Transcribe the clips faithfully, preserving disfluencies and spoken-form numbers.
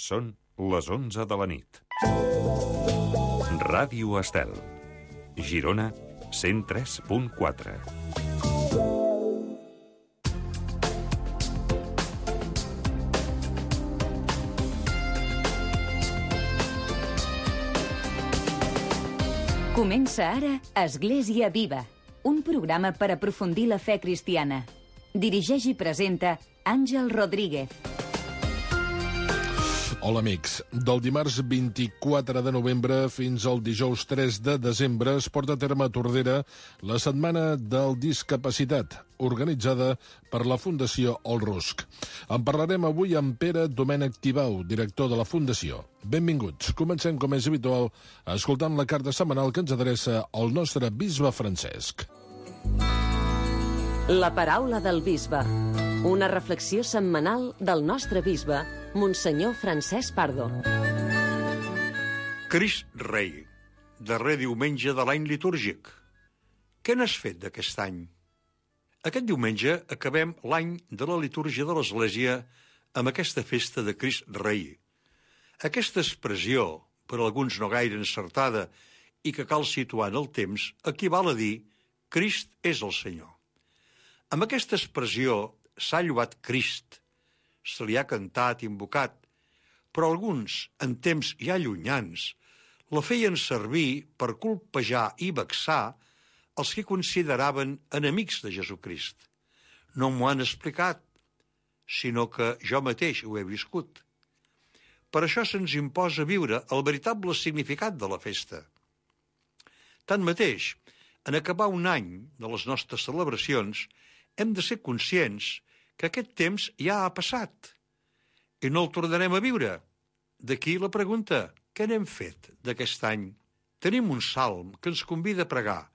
Són les onze de la nit. Ràdio Estel. Girona, cent tres punt quatre. Comença ara Església Viva, un programa per aprofundir la fe cristiana. Dirigeix i presenta Àngel Rodríguez. Hola, amics. Del dimarts vint-i-quatre de novembre fins al dijous tres de desembre es porta a terme a Tordera la Setmana del Discapacitat, organitzada per la Fundació Olrusc. En parlarem avui amb Pere Domènech Tibau, director de la Fundació. Benvinguts. Comencem, com és habitual, escoltant la carta setmanal que ens adreça el nostre bisbe Francesc. La paraula del bisbe. Una reflexió setmanal del nostre bisbe, Monsenyor Francesc Pardo. Crist Rei, darrer diumenge de l'any litúrgic. Què n'has fet d'aquest any? Aquest diumenge acabem l'any de la litúrgia de l'Església amb aquesta festa de Crist Rei. Aquesta expressió, per alguns no gaire encertada i que cal situar en el temps, equival a dir Crist és el Senyor. Amb aquesta expressió s'ha lloat Crist, se li ha cantat, invocat, però alguns, en temps ja llunyans, la feien servir per colpejar i vexar els que consideraven enemics de Jesucrist. No m'ho han explicat, sinó que jo mateix ho he viscut. Per això se'ns imposa viure el veritable significat de la festa. Tanmateix, en acabar un any de les nostres celebracions, hem de ser conscients que aquest temps ja ha passat i no el tornarem a viure. D'aquí la pregunta, què n'hem fet d'aquest any? Tenim un salm que ens convida a pregar.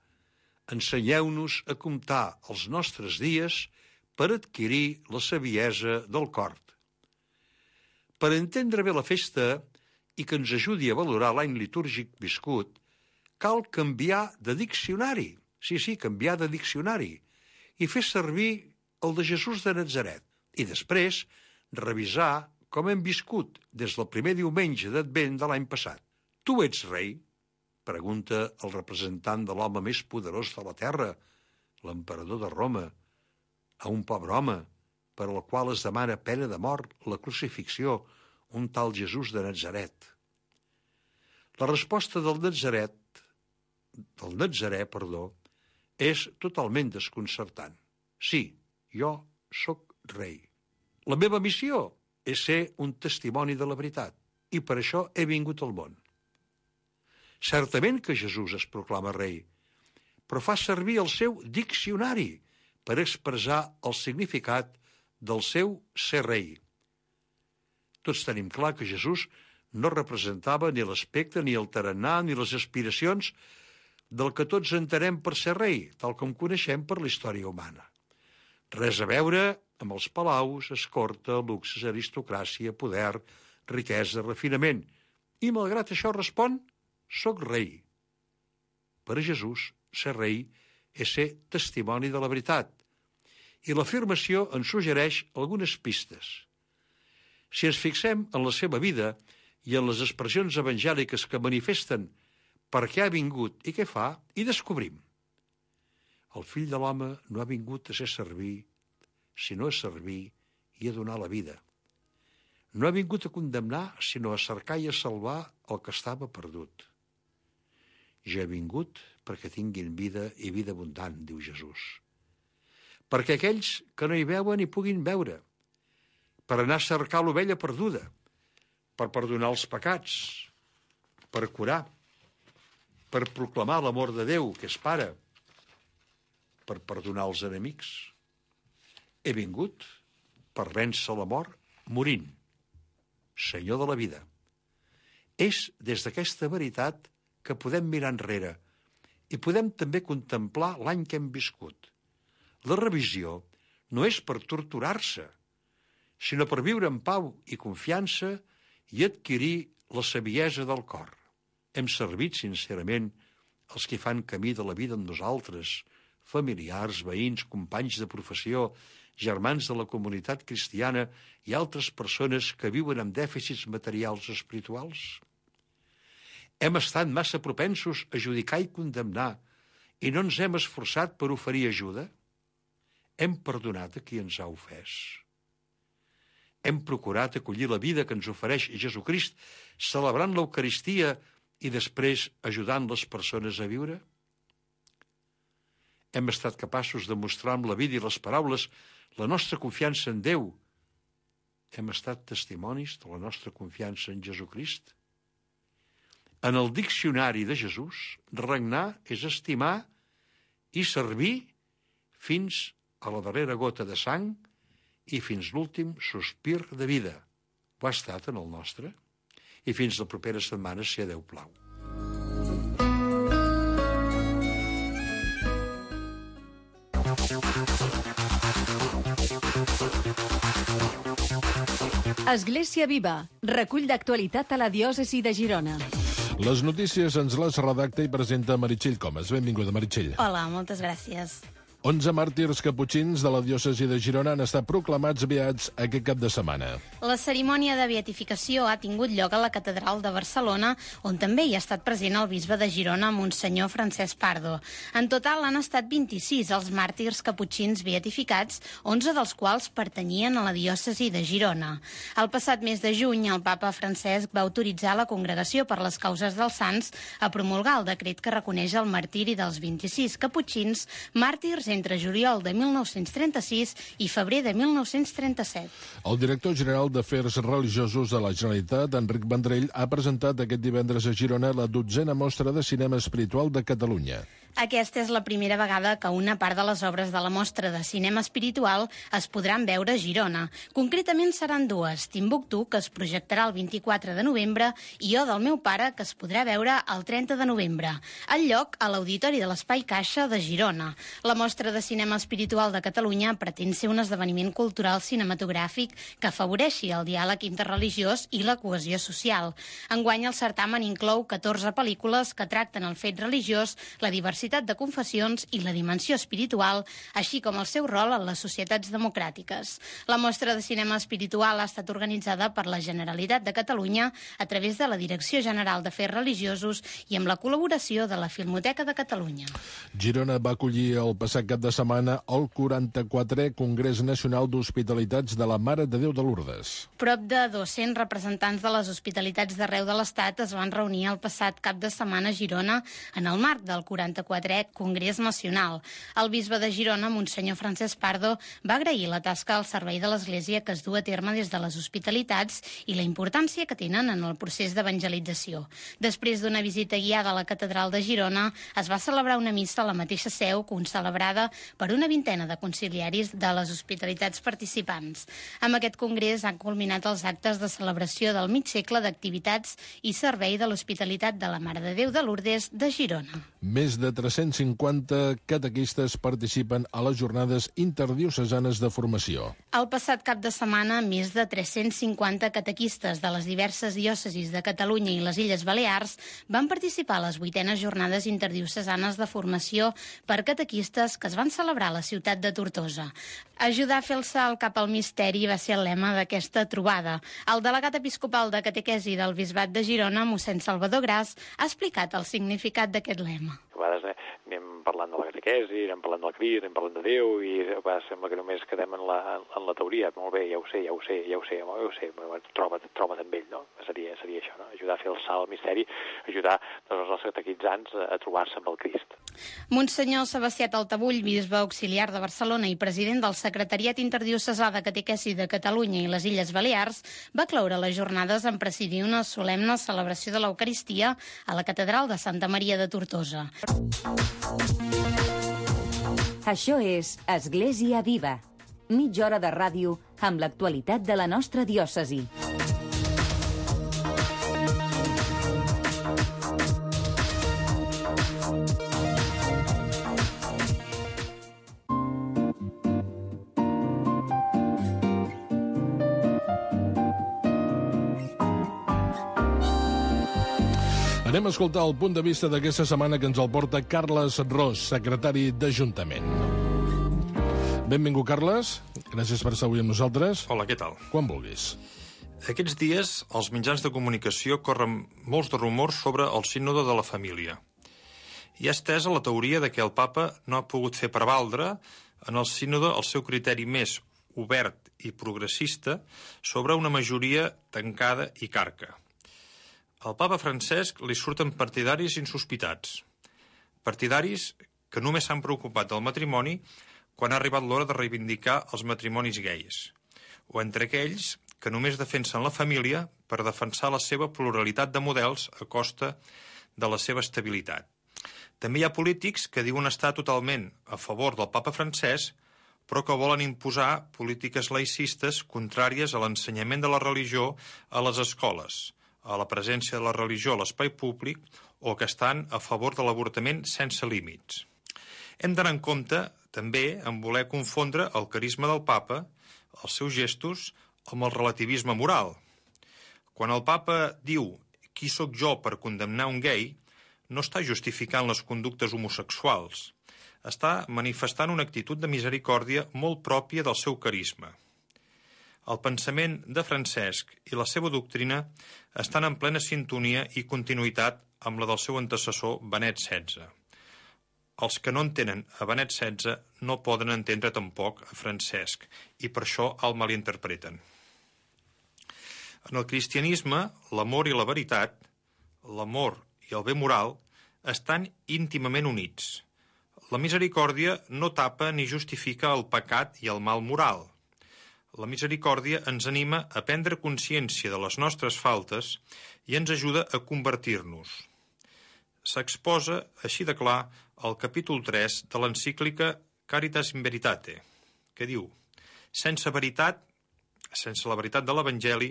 Ensenyeu-nos a comptar els nostres dies per adquirir la saviesa del cor. Per entendre bé la festa i que ens ajudi a valorar l'any litúrgic viscut, cal canviar de diccionari. Sí, sí, canviar de diccionari i fer servir el de Jesús de Natzaret, i després revisar com hem viscut des del primer diumenge d'Advent de l'any passat. Tu ets rei? Pregunta el representant de l'home més poderós de la terra, l'emperador de Roma, a un pobre home per al qual es demana pena de mort, la crucifixió, un tal Jesús de Natzaret. La resposta del Natzaret, del Natzarè, perdó, és totalment desconcertant. Sí, jo sóc rei. La meva missió és ser un testimoni de la veritat i per això he vingut al món. Certament que Jesús es proclama rei, però fa servir el seu diccionari per expressar el significat del seu ser rei. Tots tenim clar que Jesús no representava ni l'aspecte, ni el tarannà, ni les aspiracions del que tots entenem per ser rei, tal com coneixem per la història humana. Res a veure amb els palaus, escorta, luxes, aristocràcia, poder, riquesa, refinament. I malgrat això respon, soc rei. Per a Jesús, ser rei és ser testimoni de la veritat. I l'afirmació ens suggereix algunes pistes. Si ens fixem en la seva vida i en les expressions evangèliques que manifesten per què ha vingut i què fa, i descobrim. El fill de l'home no ha vingut a ser servir, sinó a servir i a donar la vida. No ha vingut a condemnar, sinó a cercar i a salvar el que estava perdut. Jo he vingut perquè tinguin vida i vida abundant, diu Jesús. Perquè aquells que no hi veuen hi puguin veure, per anar a cercar l'ovella perduda, per perdonar els pecats, per curar, per proclamar l'amor de Déu, que és Pare, per perdonar els enemics. He vingut per vèncer la mort morint, Senyor de la vida. És des d'aquesta veritat que podem mirar enrere i podem també contemplar l'any que hem viscut. La revisió no és per torturar-se, sinó per viure en pau i confiança i adquirir la saviesa del cor. Hem servit sincerament els que fan camí de la vida amb nosaltres, familiars, veïns, companys de professió, germans de la comunitat cristiana i altres persones que viuen amb dèficits materials o espirituals? Hem estat massa propensos a judicar i condemnar i no ens hem esforçat per oferir ajuda? Hem perdonat a qui ens ha ofès? Hem procurat acollir la vida que ens ofereix Jesucrist, celebrant l'Eucaristia i després ajudant les persones a viure? Hem estat capaços de mostrar amb la vida i les paraules la nostra confiança en Déu? Hem estat testimonis de la nostra confiança en Jesucrist? En el diccionari de Jesús, regnar és estimar i servir fins a la darrera gota de sang i fins l'últim sospir de vida. Ho ha estat en el nostre? I fins la propera setmana, si a Déu plau. Església Viva, recull d'actualitat a la diòcesi de Girona. Les notícies ens les redacta i presenta Meritxell Comas. Benvinguda, Meritxell. Hola, moltes gràcies. onze màrtirs caputxins de la diòcesi de Girona han estat proclamats beats aquest cap de setmana. La cerimònia de beatificació ha tingut lloc a la Catedral de Barcelona, on també hi ha estat present el bisbe de Girona, Monsenyor Francesc Pardo. En total han estat vint-i-sis els màrtirs caputxins beatificats, onze dels quals pertanyien a la diòcesi de Girona. El passat mes de juny, el papa Francesc va autoritzar la Congregació per les Causes dels Sants a promulgar el decret que reconeix el martiri dels vint-i-sis caputxins, màrtirs entre juliol de mil nou-cents trenta-sis i febrer de mil nou-cents trenta-set. El director general d'Afers Religiosos de la Generalitat, Enric Vendrell, ha presentat aquest divendres a Girona la dotzena mostra de cinema espiritual de Catalunya. Aquesta és la primera vegada que una part de les obres de la mostra de cinema espiritual es podran veure a Girona. Concretament seran dues, Timbuktu, que es projectarà el vint-i-quatre de novembre, i Jo del meu pare, que es podrà veure el trenta de novembre. El lloc a l'Auditori de l'Espai Caixa de Girona. La mostra de cinema espiritual de Catalunya pretén ser un esdeveniment cultural cinematogràfic que afavoreixi el diàleg interreligiós i la cohesió social. Enguany el certamen inclou catorze pel·lícules que tracten el fet religiós, la diversitat de confessions i la dimensió espiritual, així com el seu rol en les societats democràtiques. La mostra de cinema espiritual ha estat organitzada per la Generalitat de Catalunya a través de la Direcció General d'Afers Religiosos i amb la col·laboració de la Filmoteca de Catalunya. Girona va acollir el passat cap de setmana el quaranta-quatrè Congrés Nacional d'Hospitalitats de la Mare de Déu de Lourdes. Prop de dos-cents representants de les hospitalitats d'arreu de l'Estat es van reunir el passat cap de setmana a Girona en el marc del quaranta-quatrè Congrés Nacional. El bisbe de Girona, Monsenyor Francesc Pardo, va agrair la tasca al servei de l'Església que es du a terme des de les hospitalitats i la importància que tenen en el procés d'evangelització. Després d'una visita guiada a la Catedral de Girona, es va celebrar una missa a la mateixa seu, concelebrada per una vintena de conciliaris de les hospitalitats participants. Amb aquest congrés han culminat els actes de celebració del mig segle d'activitats i servei de l'Hospitalitat de la Mare de Déu de Lourdes de Girona. Més de tres-cents cinquanta catequistes participen a les jornades interdiocesanes de formació. El passat cap de setmana, més de tres-cents cinquanta catequistes de les diverses diòcesis de Catalunya i les Illes Balears van participar a les vuitenes jornades interdiocesanes de formació per catequistes que es van celebrar a la ciutat de Tortosa. Ajudar a fer el salt cap al misteri va ser el lema d'aquesta trobada. El delegat episcopal de catequesi del Bisbat de Girona, mossèn Salvador Gras, ha explicat el significat d'aquest lema. A vegades eh, anem parlant de la catequesi, anem parlant del Crist, anem parlant de Déu i a vegades sembla que només quedem en la, en la teoria. Molt bé, ja ho sé, ja ho sé, ja ho sé, ja ho sé, però troba't, troba't amb ell, no? Seria, seria això, no? Ajudar a fer el salt al misteri, ajudar doncs, els nostres catequitzants a, a trobar-se amb el Crist. Monsenyor Sebastià Taltabull, bisbe auxiliar de Barcelona i president del Secretariat Interdiocesà de Catequesi de Catalunya i les Illes Balears, va cloure les jornades en presidir una solemne celebració de l'Eucaristia a la Catedral de Santa Maria de Tortosa. Això és Església Viva. Mitja hora de ràdio amb l'actualitat de la nostra diòcesi. Anem a escoltar el punt de vista d'aquesta setmana que ens el porta Carles Ros, secretari d'Ajuntament. Benvingut, Carles. Gràcies per estar avui amb nosaltres. Hola, què tal? Quan vulguis. Aquests dies, als mitjans de comunicació corren molts de rumors sobre el sínode de la família. Hi ha estesa la teoria de que el papa no ha pogut fer prevaldre en el sínode el seu criteri més obert i progressista sobre una majoria tancada i carca. Al papa Francesc li surten partidaris insospitats. Partidaris que només s'han preocupat del matrimoni quan ha arribat l'hora de reivindicar els matrimonis gais, o entre aquells que només defensen la família per defensar la seva pluralitat de models a costa de la seva estabilitat. També hi ha polítics que diuen estar totalment a favor del papa Francesc, però que volen imposar polítiques laïcistes contràries a l'ensenyament de la religió a les escoles, a la presència de la religió a l'espai públic o que estan a favor de l'avortament sense límits. Hem d'anar en compte, també, en voler confondre el carisma del papa, els seus gestos, amb el relativisme moral. Quan el papa diu «qui sóc jo per condemnar un gai», no està justificant les conductes homosexuals. Està manifestant una actitud de misericòrdia molt pròpia del seu carisma. El pensament de Francesc i la seva doctrina estan en plena sintonia i continuïtat amb la del seu antecessor Benet setze. Els que no entenen a Benet setze no poden entendre tampoc a Francesc i per això el malinterpreten. En el cristianisme, l'amor i la veritat, l'amor i el bé moral estan íntimament units. La misericòrdia no tapa ni justifica el pecat i el mal moral. La misericòrdia ens anima a prendre consciència de les nostres faltes i ens ajuda a convertir-nos. S'exposa, així de clar, al capítol tres de l'encíclica Caritas in Veritate, que diu: sense veritat, sense la veritat de l'Evangeli,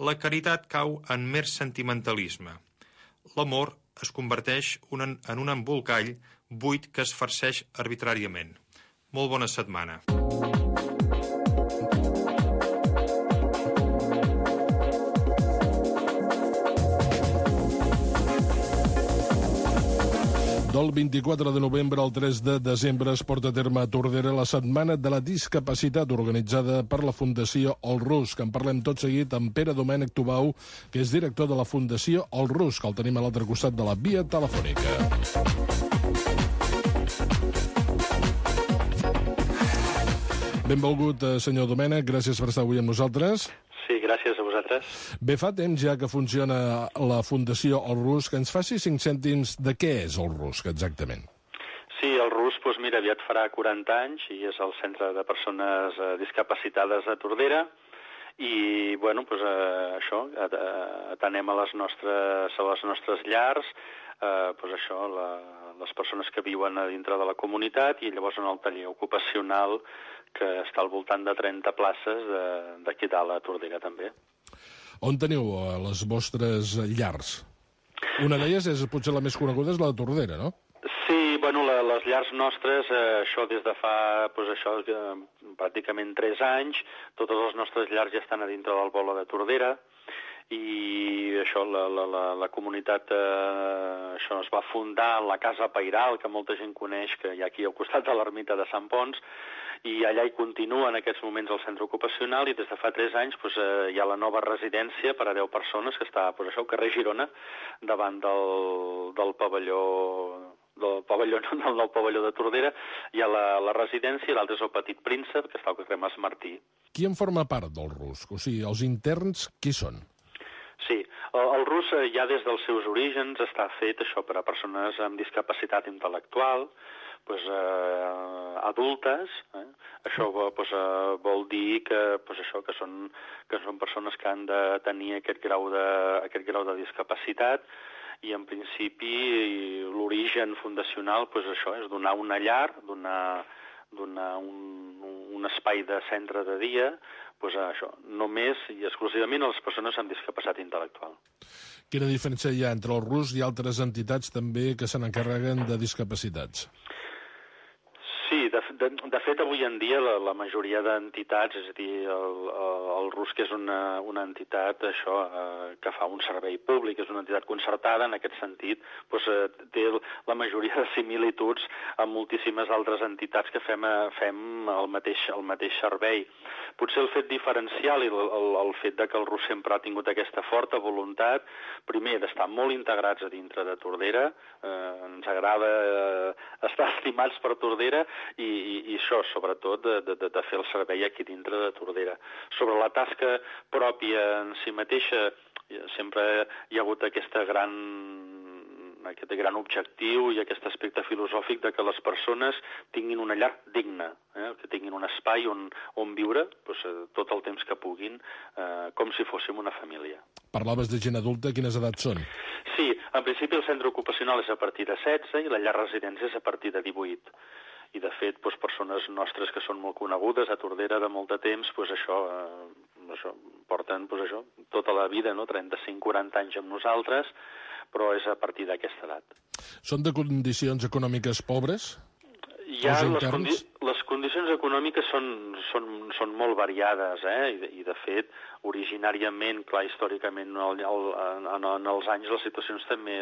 la caritat cau en mer sentimentalisme. L'amor es converteix en un embolcall buit que es farceix arbitràriament. Molt bona setmana. Del vint-i-quatre de novembre al tres de desembre es porta a terme a Tordera la Setmana de la Discapacitat organitzada per la Fundació El Rus, que en parlem tot seguit amb Pere Domènec Tubau, que és director de la Fundació El Rus, que el tenim a l'altre costat de la via telefònica. Benvolgut, senyor Domènec, gràcies per estar avui amb nosaltres. Sí, gràcies a vosaltres. Bé, fa temps ja que funciona la Fundació El Rus, que ens faci cinc cèntims de què és el Rus, exactament. Sí, el Rus, doncs mira, aviat farà quaranta anys i és el Centre de Persones eh, Discapacitades de Tordera i, bueno, doncs eh, això, atenem a les nostres, a les nostres llars, eh, doncs això, la, les persones que viuen a dintre de la comunitat i llavors en el taller ocupacional que està al voltant de trenta places d'aquí dalt a Tordera també. On teniu les vostres llars? Una d'elles és potser la més coneguda, és la de Tordera, no? Sí, bueno, la, les llars nostres, eh, això des de fa, doncs això, eh, pràcticament tres anys, totes les nostres llars ja estan a dintre del Bolo de Tordera, i això, la, la, la, la comunitat eh, això es va fundar en la Casa Pairal, que molta gent coneix, que hi ha aquí al costat de l'ermita de Sant Pons, i allà hi continua en aquests moments el centre ocupacional i des de fa tres anys doncs, eh, hi ha la nova residència per a deu persones que està doncs, això, al carrer Girona, davant del, del pavelló del pavelló, no, del nou pavelló de Tordera. Hi ha la, la residència i l'altre és el Petit Príncep, que està al carrer Mas Martí. Qui en forma part del Rus? O sigui, els interns, qui són? Sí, el, el Rus eh, ja des dels seus orígens està fet això per a persones amb discapacitat intel·lectual, pues, eh, adultes, eh? Això pues, eh, vol dir que, pues, això, que, són, que són persones que han de tenir aquest grau de, aquest grau de discapacitat i en principi l'origen fundacional pues, això, és donar una llar, donar, donar un, un espai de centre de dia pues, això, només i exclusivament a les persones amb discapacitat intel·lectual. Quina diferència hi ha entre el Rus i altres entitats també que se n'encarreguen de discapacitats? Sí, de, de, de fet, avui en dia la, la majoria d'entitats, és a dir, el, el RUSC és una, una entitat això, eh, que fa un servei públic, és una entitat concertada, en aquest sentit, doncs, eh, té la majoria de similituds amb moltíssimes altres entitats que fem, fem el, mateix, el mateix servei. Potser el fet diferencial i el, el, el fet de que el RUSC sempre ha tingut aquesta forta voluntat, primer, d'estar molt integrats a dintre de Tordera, eh, ens agrada eh, estar estimats per Tordera i, i, i això, sobretot, de, de, de fer el servei aquí dintre de Tordera. Sobre la tasca pròpia en si mateixa, sempre hi ha hagut aquesta gran aquest gran objectiu i aquest aspecte filosòfic de que les persones tinguin una llar digna, eh? que tinguin un espai on, on viure doncs, tot el temps que puguin, eh, com si fóssim una família. Parlaves de gent adulta, quines edats són? Sí, en principi el centre ocupacional és a partir de setze i la llar residència és a partir de divuit. I, de fet, doncs, persones nostres que són molt conegudes a Tordera de molt de temps, doncs, això, eh, això, porten doncs, això, tota la vida, no? trenta-cinc quaranta anys amb nosaltres, però és a partir d'aquesta edat. Són de condicions econòmiques pobres? Ja les, condi les condicions econòmiques són, són, són molt variades, eh? I, de, i de fet, originàriament, clar, històricament, en, el, en, en els anys les situacions també,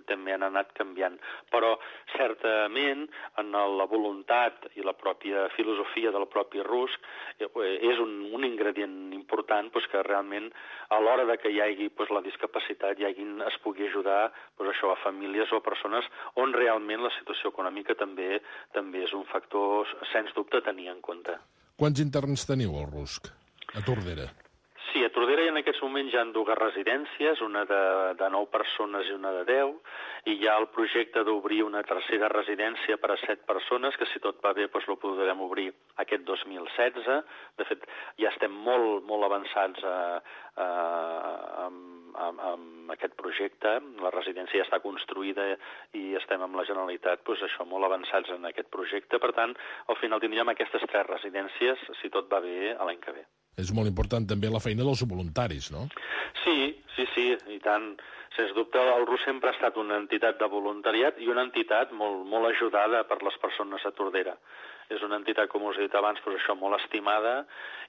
també han anat canviant, però certament en la voluntat i la pròpia filosofia del propi RUSC és un, un ingredient important pues, que realment a l'hora de que hi hagi pues, la discapacitat hi hagi, es pugui ajudar pues, això, a famílies o a persones on realment la situació econòmica també també és un factor, sens dubte, a tenir en compte. Quants interns teniu al RUSC, a Tordera? Sí, a Tordera en aquests moments hi ha dues residències, una de, de nou persones i una de deu, i hi ha el projecte d'obrir una tercera residència per a set persones, que si tot va bé doncs, lo podrem obrir aquest dos mil setze. De fet, ja estem molt, molt avançats a, a, amb, amb, amb aquest projecte. La residència ja està construïda i estem amb la Generalitat doncs, això, molt avançats en aquest projecte. Per tant, al final tindríem aquestes tres residències, si tot va bé, a l'any que ve. És molt important també la feina dels voluntaris, no? Sí, sí, sí, i tant. Sens dubte, el RUSC sempre ha estat una entitat de voluntariat i una entitat molt, molt ajudada per les persones a Tordera. És una entitat, com us he dit abans, doncs això, molt estimada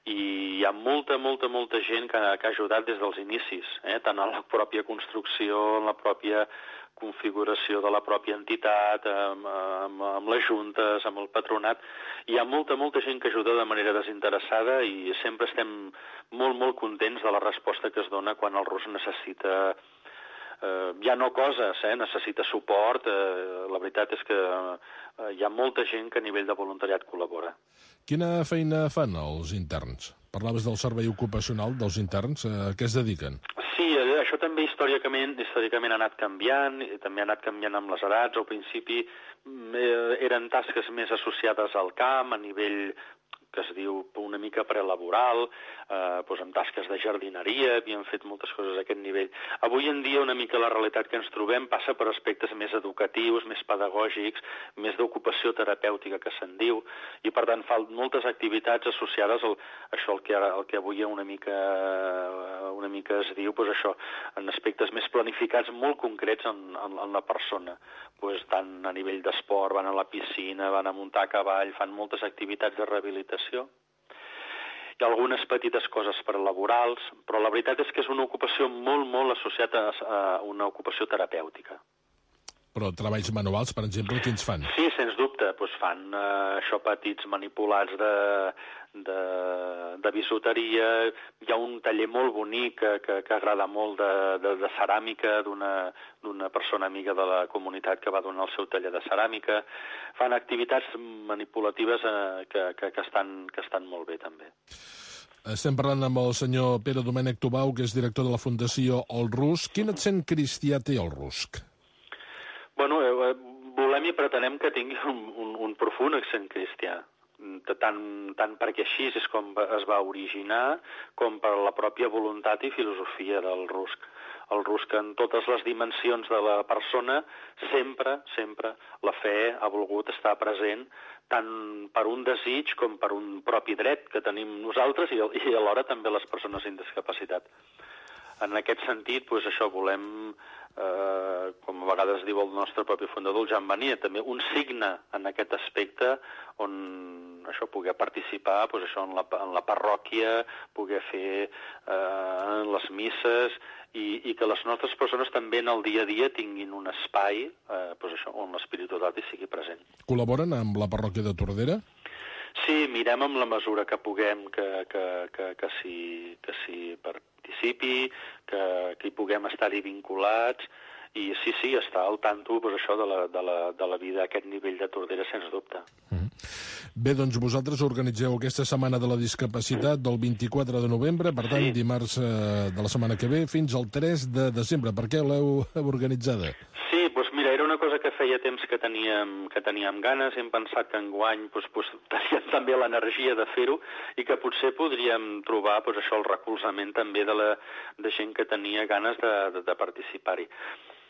i hi ha molta, molta, molta gent que, que ha ajudat des dels inicis, eh? tant en la pròpia construcció, en la pròpia configuració de la pròpia entitat, amb, amb, amb les juntes, amb el patronat. Hi ha molta, molta gent que ajuda de manera desinteressada i sempre estem molt, molt contents de la resposta que es dona quan el RUSC necessita eh, ja no coses, eh, necessita suport. Eh, la veritat és que eh, hi ha molta gent que a nivell de voluntariat col·labora. Quina feina fan els interns? Parlaves del servei ocupacional dels interns. A què es dediquen? Sí, això també històricament, històricament ha anat canviant, i també ha anat canviant amb les edats. Al principi eh, eren tasques més associades al camp, a nivell que es diu una mica prelaboral, eh, doncs amb tasques de jardineria, havíem fet moltes coses a aquest nivell. Avui en dia una mica la realitat que ens trobem passa per aspectes més educatius, més pedagògics, més d'ocupació terapèutica que se'n diu, i per tant fa moltes activitats associades al això el que, el que avui una mica, una mica es diu, doncs això, en aspectes més planificats, molt concrets en, en, en la persona. Doncs tant a nivell d'esport, van a la piscina, van a muntar a cavall, fan moltes activitats de rehabilitació. Hi ha algunes petites coses prelaborals, però la veritat és que és una ocupació molt, molt associada a una ocupació terapèutica. Però treballs manuals, per exemple, quins fan? Sí, sens dubte. Doncs fan eh, això, petits manipulats de, de, de bisuteria. Hi ha un taller molt bonic que, que, que agrada molt de, de, de ceràmica d'una persona amiga de la comunitat que va donar el seu taller de ceràmica. Fan activitats manipulatives eh, que, que, que, estan, que estan molt bé, també. Estem parlant amb el senyor Pere Domènec Tubau, que és director de la Fundació El RUSC. Quin accent cristià té el RUSC? Bueno, eh, volem i pretenem que tingui un, un, un profund accent cristià, tant, tant perquè així és com es va originar, com per la pròpia voluntat i filosofia del RUSC. El RUSC, en totes les dimensions de la persona, sempre, sempre, la fe ha volgut estar present, tant per un desig com per un propi dret que tenim nosaltres i, i alhora també les persones amb discapacitat. en aquest sentit, doncs això, volem, eh, com a vegades diu el nostre propi fundador, el Jan Vania, també un signe en aquest aspecte on això poder participar doncs això, en, la, en la parròquia, poder fer eh, les misses i, i que les nostres persones també en el dia a dia tinguin un espai eh, doncs això, on l'espiritualitat hi sigui present. Col·laboren amb la parròquia de Tordera? Sí, mirem amb la mesura que puguem que, que, que, que s'hi que s'hi participi, que, que hi puguem estar-hi vinculats, i sí, sí, està al tanto doncs, això de la, de, la, de la vida a aquest nivell de Tordera, sens dubte. Mm. Bé, doncs vosaltres organitzeu aquesta Setmana de la Discapacitat del vint-i-quatre de novembre, per tant, sí. dimarts eh, de la setmana que ve, fins al tres de desembre. Per què l'heu organitzada? Sí, doncs mira, era una cosa que feia temps que teníem, que teníem ganes, hem pensat que enguany doncs, doncs, teníem també l'energia de fer-ho i que potser podríem trobar doncs, això, el recolzament també de, la, de gent que tenia ganes de, de, de participar-hi.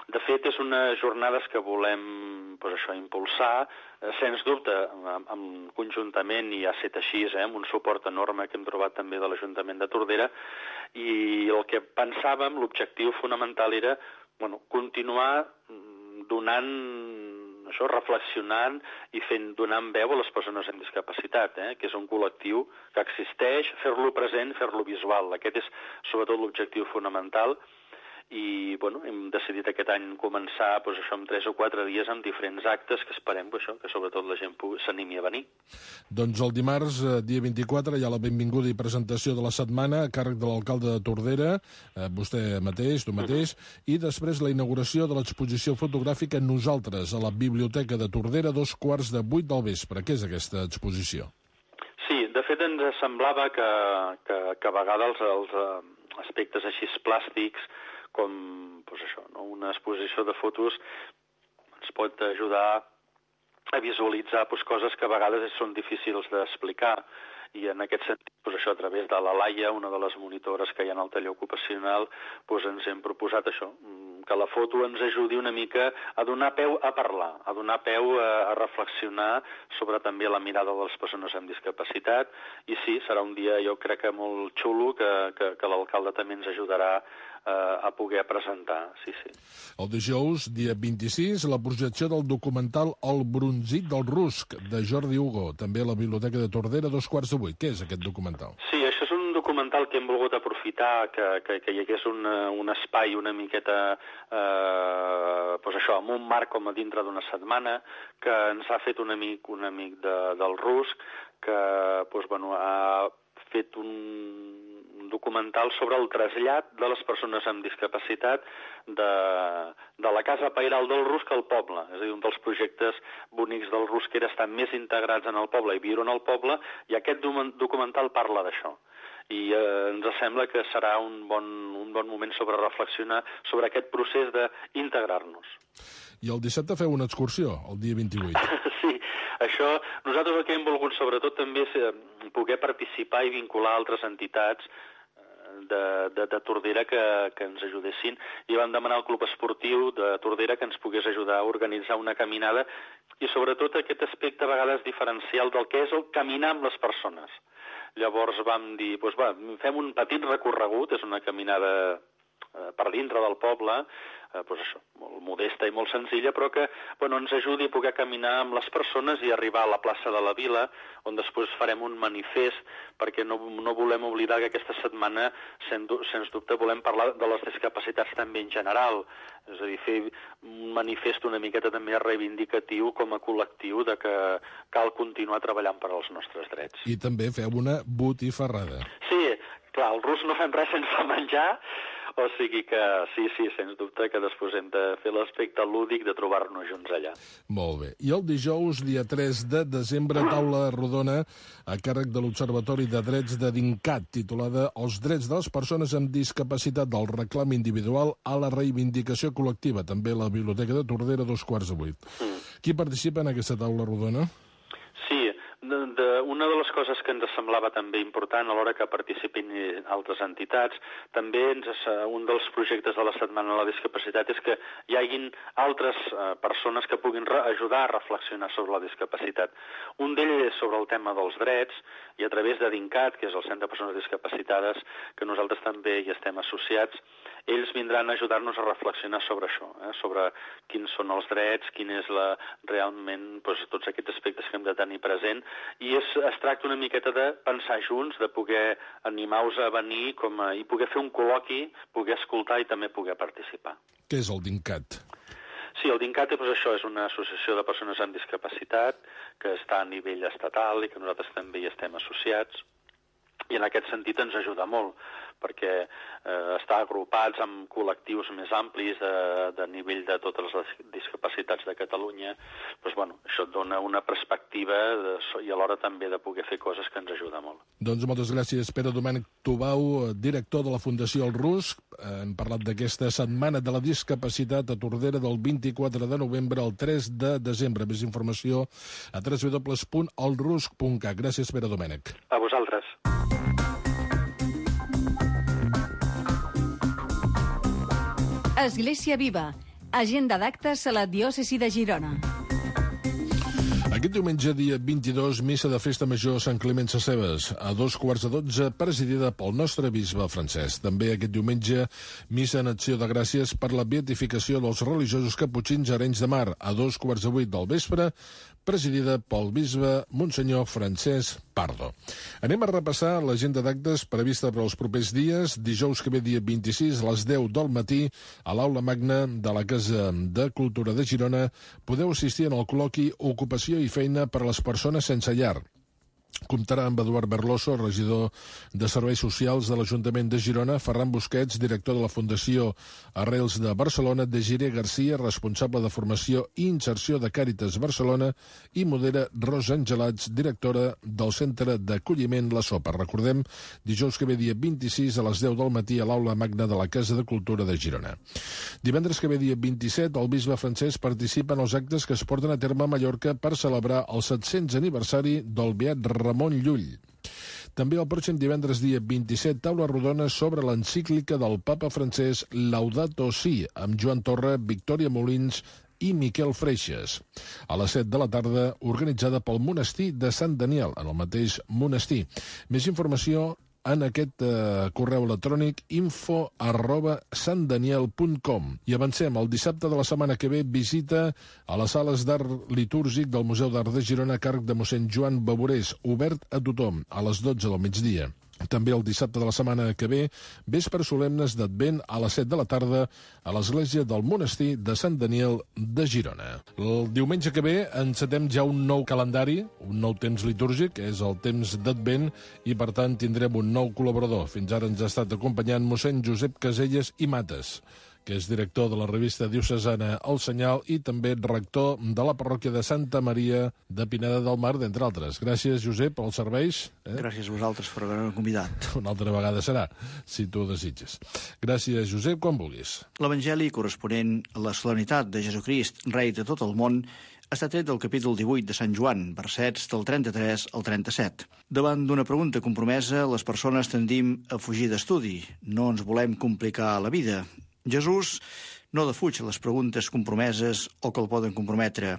De fet, és unes jornades que volem doncs, això, impulsar, eh, sens dubte, amb, amb conjuntament, i ha estat així, eh, amb un suport enorme que hem trobat també de l'Ajuntament de Tordera, i el que pensàvem, l'objectiu fonamental era bueno, continuar donant, això, reflexionant i fent, donant veu a les persones amb discapacitat, eh, que és un col·lectiu que existeix, fer-lo present, fer-lo visual. Aquest és sobretot l'objectiu fonamental. I bueno, hem decidit aquest any començar doncs, això, amb tres o quatre dies amb diferents actes que esperem doncs, això, que sobretot la gent s'animi a venir. Doncs el dimarts, dia vint-i-quatre, hi ha la benvinguda i presentació de la setmana a càrrec de l'alcalde de Tordera, eh, vostè mateix, tu mateix, uh-huh. i després la inauguració de l'exposició fotogràfica Nosaltres, a la Biblioteca de Tordera, dos quarts de vuit del vespre. Què és aquesta exposició? Sí, de fet ens semblava que, que, que a vegades els, els aspectes així plàstics com doncs això, no? Una exposició de fotos ens pot ajudar a visualitzar doncs, coses que a vegades són difícils d'explicar. I en aquest sentit, doncs això, a través de la Laia, una de les monitores que hi ha en el taller ocupacional, doncs ens hem proposat això, que la foto ens ajudi una mica a donar peu a parlar, a donar peu a, a reflexionar sobre també la mirada de les persones amb discapacitat. I sí, serà un dia, jo crec que molt xulo, que, que, que l'alcalde també ens ajudarà a poder presentar, sí, sí. El dijous, dia vint-i-sis, la projecció del documental El bronzit del rusc, de Jordi Hugo, també a la Biblioteca de Tordera, dos quarts de vuit. Què és aquest documental? Sí, això és un documental que hem volgut aprofitar, que, que, que hi hagués un, un espai una miqueta, eh, doncs això, amb un marc com a dintre d'una setmana, que ens ha fet un amic, un amic de, del rusc, que doncs, bueno, ha fet un documental sobre el trasllat de les persones amb discapacitat de, de la casa pairal del Rusc al poble. És a dir, un dels projectes bonics del Rusc era estar més integrats en el poble i viure en el poble, i aquest documental parla d'això. I eh, ens sembla que serà un bon, un bon moment sobre reflexionar sobre aquest procés d'integrar-nos. I el dissabte feu una excursió, el dia vint-i-vuit. Sí, això, nosaltres el que hem volgut sobretot també és poder participar i vincular altres entitats de, de, de Tordera que, que ens ajudessin, i vam demanar al Club Esportiu de Tordera que ens pogués ajudar a organitzar una caminada, i sobretot aquest aspecte a vegades diferencial del que és el caminar amb les persones. Llavors vam dir, doncs va, fem un petit recorregut, és una caminada eh, per dintre del poble, eh, doncs això, molt modesta i molt senzilla, però que bueno, ens ajudi a poder caminar amb les persones i arribar a la plaça de la Vila, on després farem un manifest, perquè no, no volem oblidar que aquesta setmana, sens, sens dubte, volem parlar de les discapacitats també en general, és a dir, fer un manifest una miqueta també reivindicatiu com a col·lectiu de que cal continuar treballant per als nostres drets. I també feu una botifarrada. Sí, clar, el Rus no fem res sense menjar, o sigui que sí, sí, sens dubte que després hem de fer l'aspecte lúdic de trobar-nos junts allà. Molt bé. I el dijous, dia tres de desembre, taula rodona a càrrec de l'Observatori de Drets de DINCAT, titulada Els drets de les persones amb discapacitat, del reclam individual a la reivindicació col·lectiva, també a la Biblioteca de Tordera, dos quarts de vuit. Mm. Qui participa en aquesta taula rodona? Sí, De, de, una de les coses que ens semblava també important a l'hora que participin altres entitats, també ens, un dels projectes de la Setmana de la Discapacitat és que hi hagin altres eh, persones que puguin re, ajudar a reflexionar sobre la discapacitat. Un d'ells és sobre el tema dels drets, i a través de DINCAT, que és el Centre de Persones Discapacitades, que nosaltres també hi estem associats, ells vindran a ajudar-nos a reflexionar sobre això, eh? sobre quins són els drets, quin és la, realment doncs, tots aquests aspectes que hem de tenir present, i és, es tracta una miqueta de pensar junts, de poder animar-vos a venir com a, i poder fer un col·loqui, poder escoltar i també poder participar. Què és el DINCAT? Sí, el DINCAT doncs, això és una associació de persones amb discapacitat que està a nivell estatal i que nosaltres també hi estem associats, i en aquest sentit ens ajuda molt, perquè eh, està agrupats amb col·lectius més amplis de, de nivell de totes les discapacitats de Catalunya. Doncs, bueno, això et dona una perspectiva de, i alhora també de poder fer coses que ens ajuda molt. Doncs moltes gràcies, Pere Domènec Tubau, director de la Fundació El Rusc. Hem parlat d'aquesta Setmana de la Discapacitat a Tordera del vint-i-quatre de novembre al tres de desembre. Més informació a w w w punt el rusc punt cat. Gràcies, Pere Domènec. A vosaltres. Església Viva. Agenda d'actes a la diòcesi de Girona. Aquest diumenge, dia vint-i-dos, missa de festa major a Sant Climent Sescebes, a dos quarts de dotze, presidida pel nostre bisbe francès. També aquest diumenge, missa en acció de gràcies per la beatificació dels religiosos caputxins a Arenys de Mar, a dos quarts de vuit del vespre, presidida pel bisbe Monsenyor Francesc Pardo. Anem a repassar l'agenda d'actes prevista per als propers dies. Dijous que ve, dia vint-i-sis, a les deu del matí, a l'Aula Magna de la Casa de Cultura de Girona, podeu assistir en el col·loqui Ocupació i feina per a les persones sense llar. Comptarà amb Eduard Berloso, regidor de Serveis Socials de l'Ajuntament de Girona, Ferran Busquets, director de la Fundació Arrels de Barcelona, Desiree Garcia, responsable de Formació i Inserció de Càritas Barcelona, i modera Rosa Angelats, directora del Centre d'Acolliment La Sopa. Recordem, dijous que ve, dia vint-i-sis, a les deu del matí, a l'Aula Magna de la Casa de Cultura de Girona. Divendres que ve, dia vint-i-set, el bisbe francès participa en els actes que es porten a terme a Mallorca per celebrar el set-cents aniversari del beat Ramon Llull. També el pròxim divendres, dia vint-i-set, taula rodona sobre l'encíclica del papa francès Laudato Si, amb Joan Torra, Victòria Molins i Miquel Freixes. A les set de la tarda, organitzada pel monestir de Sant Daniel, en el mateix monestir. Més informació en aquest eh, correu electrònic info arroba santdaniel punt com. I avancem. El dissabte de la setmana que ve, visita a les sales d'art litúrgic del Museu d'Art de Girona a càrrec de mossèn Joan Baborés, obert a tothom, a les dotze del migdia. També el dissabte de la setmana que ve, vespre solemnes d'Advent a les set de la tarda a l'església del monestir de Sant Daniel de Girona. El diumenge que ve encetem ja un nou calendari, un nou temps litúrgic, és el temps d'Advent, i per tant tindrem un nou col·laborador. Fins ara ens ha estat acompanyant mossèn Josep Caselles i Mates, que és director de la revista diocesana El Senyal i també rector de la parròquia de Santa Maria de Pineda del Mar, d'entre altres. Gràcies, Josep, pels serveis. Eh? Gràcies a vosaltres per haver-me convidat. Una altra vegada serà, si tu ho desitges. Gràcies, Josep, quan vulguis. L'Evangeli corresponent a la solemnitat de Jesucrist, rei de tot el món, està tret del capítol divuit de Sant Joan, versets del trenta-tres al trenta-set. Davant d'una pregunta compromesa, les persones tendim a fugir d'estudi. No ens volem complicar la vida. Jesús no defuig les preguntes compromeses o que el poden comprometre.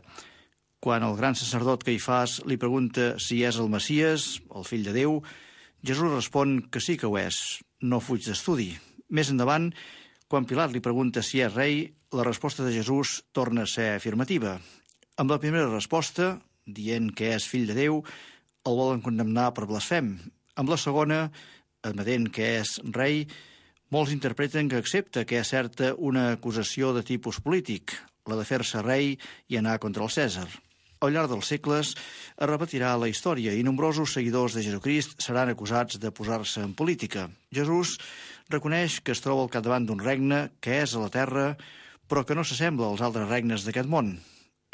Quan el gran sacerdot Caifàs li pregunta si és el Messies, el fill de Déu, Jesús respon que sí que ho és, no fuig d'estudi. Més endavant, quan Pilat li pregunta si és rei, la resposta de Jesús torna a ser afirmativa. Amb la primera resposta, dient que és fill de Déu, el volen condemnar per blasfem. Amb la segona, admetent que és rei, molts interpreten que accepta que és certa una acusació de tipus polític, la de fer-se rei i anar contra el Cèsar. Al llarg dels segles es repetirà la història i nombrosos seguidors de Jesucrist seran acusats de posar-se en política. Jesús reconeix que es troba al capdavant d'un regne que és a la terra, però que no s'assembla als altres regnes d'aquest món.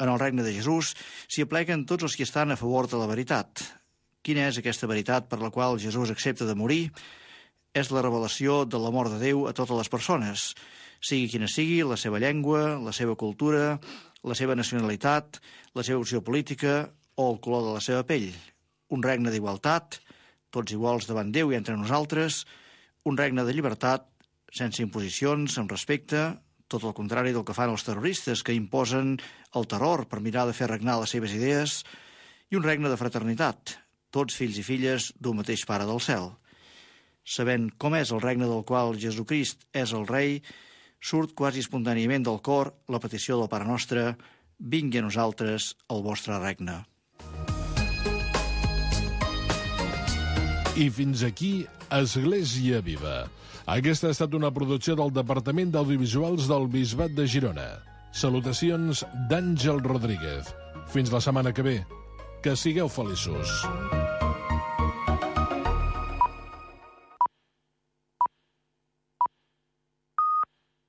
En el regne de Jesús s'hi apleguen tots els que estan a favor de la veritat. Quina és aquesta veritat per la qual Jesús accepta de morir? És la revelació de l'amor de Déu a totes les persones, sigui quina sigui la seva llengua, la seva cultura, la seva nacionalitat, la seva opció política o el color de la seva pell. un regne d'igualtat, tots iguals davant Déu i entre nosaltres, un regne de llibertat, sense imposicions, amb respecte, tot el contrari del que fan els terroristes, que imposen el terror per mirar de fer regnar les seves idees, i un regne de fraternitat, tots fills i filles d'un mateix Pare del cel. Sabent com és el regne del qual Jesucrist és el rei, surt quasi espontàniament del cor la petició del Pare Nostre: vingui a nosaltres el vostre regne. I fins aquí Església Viva. Aquesta ha estat una producció del Departament d'Audiovisuals del Bisbat de Girona. Salutacions d'Àngel Rodríguez. Fins la setmana que ve. Que sigueu feliços.